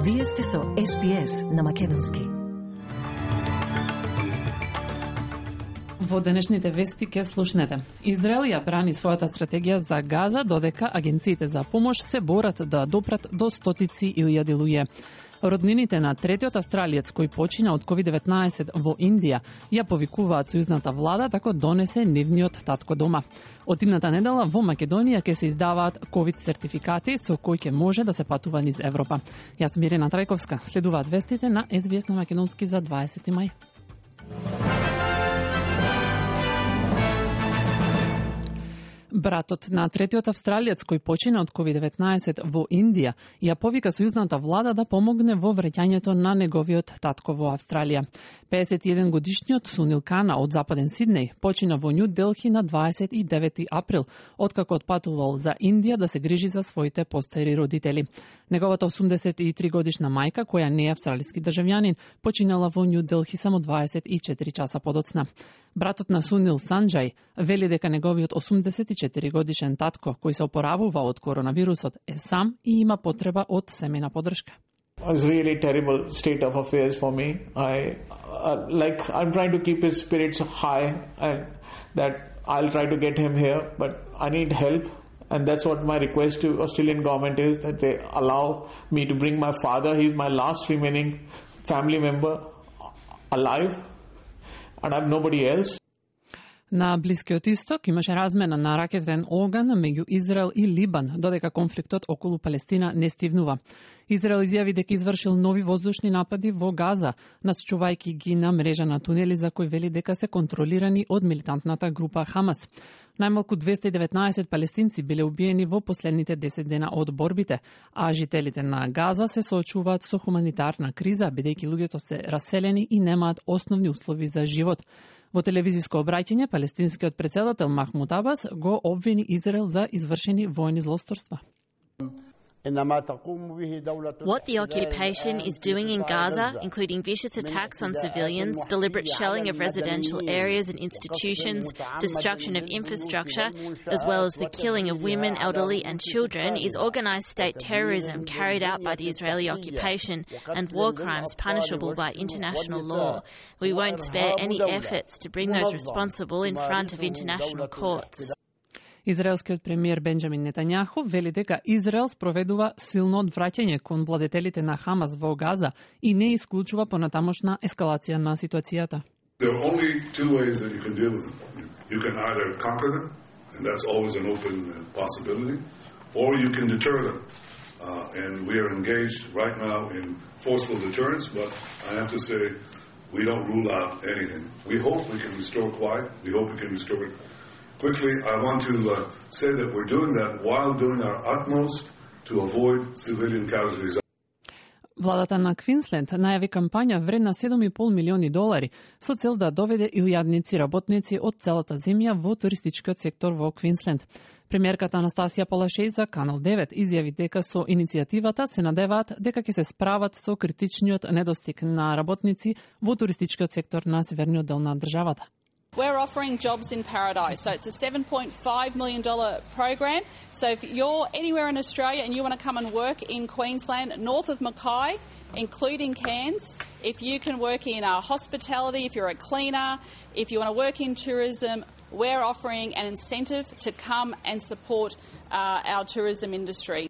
Вие сте со SPS на македонски. Во денешните вести ке слушнете. Израел ја брани својата стратегија за Газа, додека агенциите за помош се борат да допрат до стотици илјади луѓе. Роднините на третиот австралиец кој почина од COVID-19 во Индија ја повикуваат сојузната влада како донесе нивниот татко дома. Од идната недела во Македонија ќе се издаваат COVID сертификати со кои ќе може да се патува низ Европа. Јас сум Ирена Трајковска. Следуваат вестите на SBS на македонски за 20 мај. Братот на третиот австралиец кој почина од COVID-19 во Индија ја повика сојузната влада да помогне во враќањето на неговиот татко во Австралија. 51 годишниот Сунил Кана од Западен Сиднеј почина во Нју Делхи на 29 април, откако отпатувал за Индија да се грижи за своите постари родители. Неговата 83 годишна мајка, која не е австралиски државјанин, починала во Нју Делхи само 24 часа подоцна. Братот на Сунил, Санџај, вели дека неговиот 84 годишен татко, кој се опоравува од коронавирусот, е сам и има потреба од семејна поддршка. It's really terrible state of affairs for me. I'm trying to keep his spirits high, and that I'll try to get him here, but I need help. And that's what my request to Australian government is, that they allow me to bring my father. He's my last remaining family member alive, and I have nobody else. На Блискиот Исток имаше размена на ракетен оган меѓу Израел и Либан, додека конфликтот околу Палестина не стивнува. Израел изјави дека извршил нови воздушни напади во Газа, насочувајќи ги на мрежа на тунели за кои вели дека се контролирани од милитантната група Хамас. Најмалку 219 палестинци биле убиени во последните 10 дена од борбите, а жителите на Газа се соочуваат со хуманитарна криза, бидејќи луѓето се раселени и немаат основни услови за живот. Во телевизиско обраќање, палестинскиот претседател Махмуд Абас го обвини Израел за извршени војни злосторства. What the occupation is doing in Gaza, including vicious attacks on civilians, deliberate shelling of residential areas and institutions, destruction of infrastructure, as well as the killing of women, elderly and children, is organised state terrorism carried out by the Israeli occupation and war crimes punishable by international law. We won't spare any efforts to bring those responsible in front of international courts. Израелскиот премиер Бенџамин Нетањаху вели дека Израел спроведува силно одвраќање кон владетелите на Хамас во Газа и не исклучува понатамошна ескалација на ситуацијата. There are only two ways that you can deal with them. You can either conquer them, and that's always an open possibility, or you can deter them. And we are engaged right now in forceful deterrence, but I have to say we don't rule out anything. We hope we can restore quiet. We hope we can restore it quickly. I want to say that we're doing that while doing our utmost to avoid civilian casualties. Владата на Квинсленд најави кампања вредна $7,5 милиони со цел да доведе илјадници работници од целата земја во туристичкиот сектор во Квинсленд. Премиерката Анастасија Палашеј за Канал 9 изјави дека со иницијативата се надеваат дека ќе се справат со критичниот недостиг на работници во туристичкиот сектор на северниот дел на државата. We're offering jobs in paradise. So it's a $7.5 million program. So if you're anywhere in Australia and you want to come and work in Queensland, north of Mackay, including Cairns, if you can work in hospitality, if you're a cleaner, if you want to work in tourism, we're offering an incentive to come and support our tourism industry.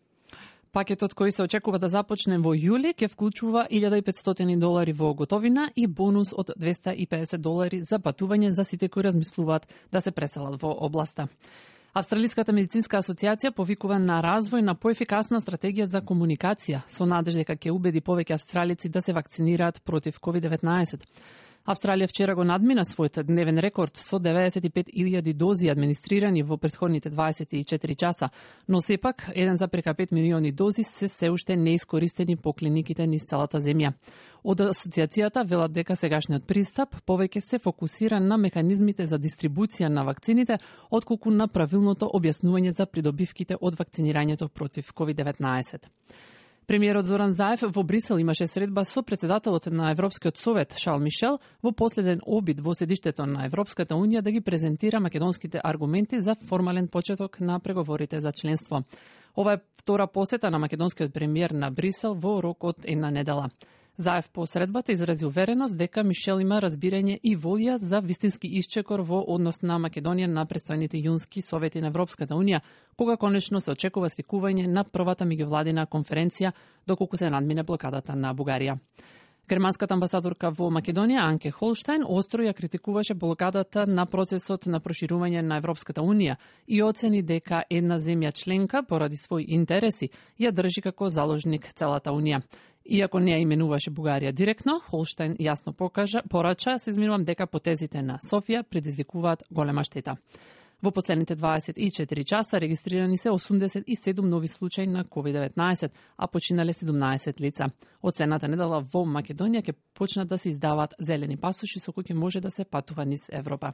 Пакетот кој се очекува да започне во јули ќе вклучува $1,500 во готовина и бонус од $250 за патување за сите кои размислуваат да се преселат во областа. Австралиската медицинска асоциација повикува на развој на поефикасна стратегија за комуникација со надежда дека ќе убеди повеќе австралици да се вакцинираат против COVID-19. Австралија вчера го надмина својот дневен рекорд со 95,000 дози администрирани во претходните 24 часа, но сепак 1,5 милиони дози се уште неискористени по клиниките низ целата земја. Од асоциацијата велат дека сегашниот пристап повеќе се фокусира на механизмите за дистрибуција на вакцините, отколку на правилното објаснување за придобивките од вакцинирањето против COVID-19. Премиерот Зоран Заев во Брисел имаше средба со претседателот на Европскиот совет Шарл Мишел во последен обид во седиштето на Европската унија да ги презентира македонските аргументи за формален почеток на преговорите за членство. Ова е втора посета на македонскиот премиер на Брисел во рок од една недела. Заев по средбата изрази увереност дека Мишел има разбирање и волја за вистински исчекор во однос на Македонија на престојните јунски совети на Европската унија, кога конечно се очекува свикување на првата меѓувладина конференција доколку се надмине блокадата на Бугарија. Германската амбасадорка во Македонија Анке Холштајн остро ја критикуваше блокадата на процесот на проширување на Европската унија и оцени дека една земја членка поради своји интереси ја држи како заложник целата унија. Иако не ја именуваше Бугарија директно, Холштајн јасно порача дека потезите на Софија предизвикуваат голема штета. Во последните 24 часа регистрирани се 87 нови случаи на COVID-19, а починале 17 лица. Од следната недела во Македонија ќе почнат да се издаваат зелени пасоши со кои ќе може да се патува низ Европа.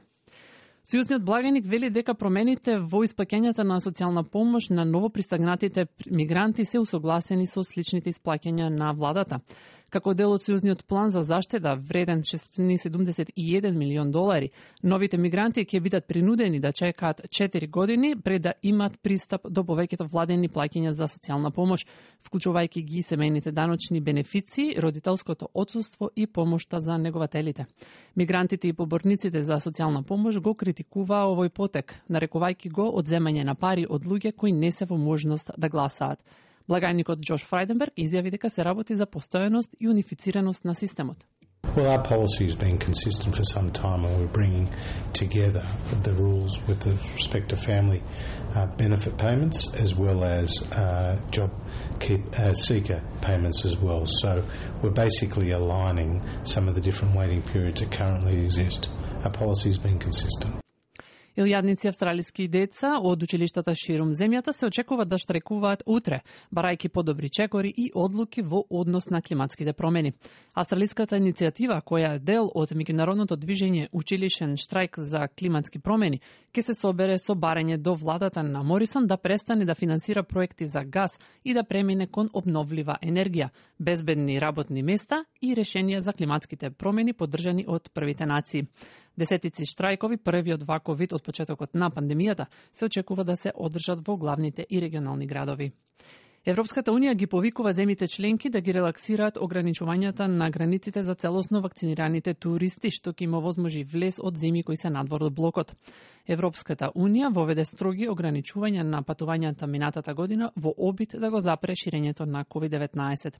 Сојузниот благаник вели дека промените во исплаќањата на социјална помош на новопристигнатите мигранти се усогласени со сличните исплаќања на владата. Како дел од сојузниот план за заштеда вреден $671 милион, новите мигранти ќе бидат принудени да чекаат 4 години пред да имаат пристап до повеќето владени плаќања за социјална помош, вклучувајќи ги семејните даночни бенефиции, родителското отсуство и помошта за негователите. Мигрантите и поборниците за социјална помош го критикуваа овој потек, нарекувајќи го одземање на пари од луѓе кои не се во можност да гласаат. Благајникот Джош Фрајденберг изјави дека се работи за постојаност и унифицираност на системот. Well, our policy has been consistent for some time, and we're bringing together the rules with respect to family benefit payments as well as job seeker payments as well. So we're basically aligning some of the different waiting periods that currently exist. Our policy has been consistent. Илјадници австралиски деца од училиштата ширум земјата се очекуваат да штрекуваат утре, барајќи подобри чекори и одлуки во однос на климатските промени. Австралиската иницијатива, која е дел од меѓународното движење Училишен штрајк за климатски промени, ќе се собере со барање до владата на Морисон да престане да финансира проекти за газ и да премине кон обновлива енергија, безбедни работни места и решенија за климатските промени поддржани од првите нации. Десетици штрајкови, првиот ваков вид од почетокот на пандемијата, се очекува да се одржат во главните и регионални градови. Европската унија ги повикува земјите членки да ги релаксираат ограничувањата на границите за целосно вакцинираните туристи, што ќе им овозможи влез од земји кои се надвор од блокот. Европската унија воведе строги ограничувања на патувањата минатата година во обид да го запре ширењето на COVID-19.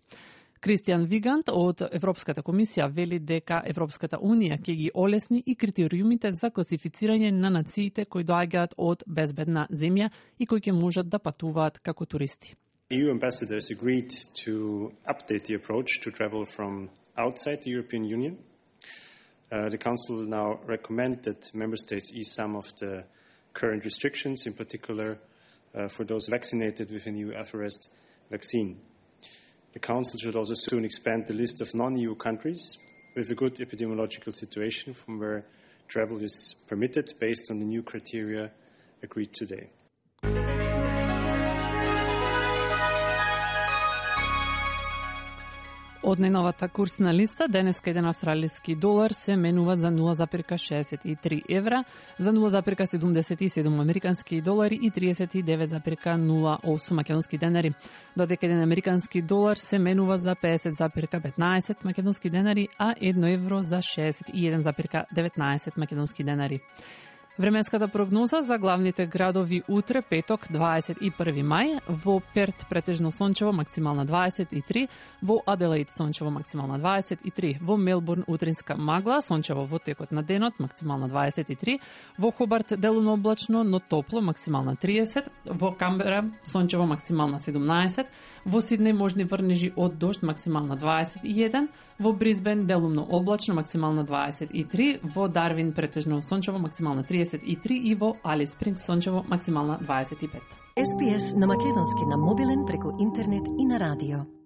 Кристијан Вигант од Европската комисија вели дека Европската унија ќе ги олесни и критериумите за класифицирање на нациите кои доаѓаат од безбедна земја и кои ќе можат да патуваат како туристи. EU ambassadors agreed to update the approach to travel from outside the European Union. The Council will now recommend that Member States ease some of the current restrictions, in particular for those vaccinated with a new Alpharest vaccine. The Council should also soon expand the list of non-EU countries with a good epidemiological situation from where travel is permitted based on the new criteria agreed today. Од најновата курсна листа, денеска еден австралиски долар се менува за 0,63 евра, за 0,77 американски долари и 39,08 македонски денари, додека еден американски долар се менува за 50,15 македонски денари, а 1 евро за 61,19 македонски денари. Временската прогноза за главните градови утре, петок, 21 мај, во Перт претежно сончево, максимална 23, во Аделаид сончево, максимална 23, во Мелбурн утринска магла, сончево во текот на денот, максимална 23, во Хобарт делумно облачно, но топло, максимална 30, во Камбера сончево, максимална 17, во Сиднеј можни врнежи од дожд, максимална 21, во Брисбен делумно облачно, максимална 23, во Дарвин претежно сончево, максимална 33 и во Алис Спрингс сончево, максимална 25. SPS на македонски на мобилен преку интернет и на радио.